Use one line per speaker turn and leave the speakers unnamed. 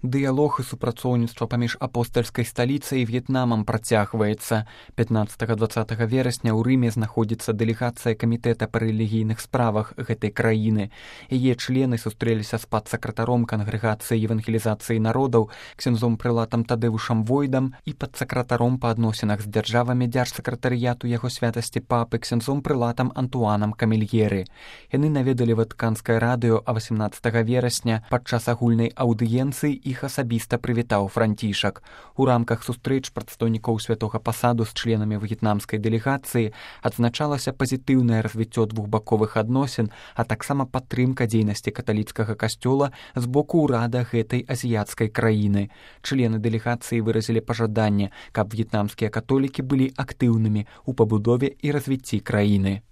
Дыялог і супрацоўніцтва паміж апостальскай сталіцай і В'етнамам працягваецца. 15-20 верасня ў Рыме знаходзіцца дэлегацыя камітэта па рэлігійных справах гэтай краіны. Яе члены сустрэліся з падсакратаром кангрэгацыі евангелізацыі народаў, ксяндзом прылатам Тадэвушам Войдам і падсакратаром па адносінах з дзяржавамі дзяржсакратарыяту яго святасці папы ксяндзом прылатам Антуанам Камельгеры. Яны наведалі Ватыканскае радыё, а 18 верасня падчас агульнай аўдыенцыі іх асабіста прывітаў Францішак. У рамках сустрэч прадстаўнікоў святога пасаду з членамі в'етнамскай дэлегацыі адзначалася пазітыўнае развіццё двухбаковых адносін, а таксама падтрымка дзейнасці каталіцкага касцёла з боку ўрада гэтай азіяцкай краіны. Члены дэлегацыі выразілі пажаданне, каб в'етнамскія католікі былі актыўнымі ў пабудове і развіцці краіны.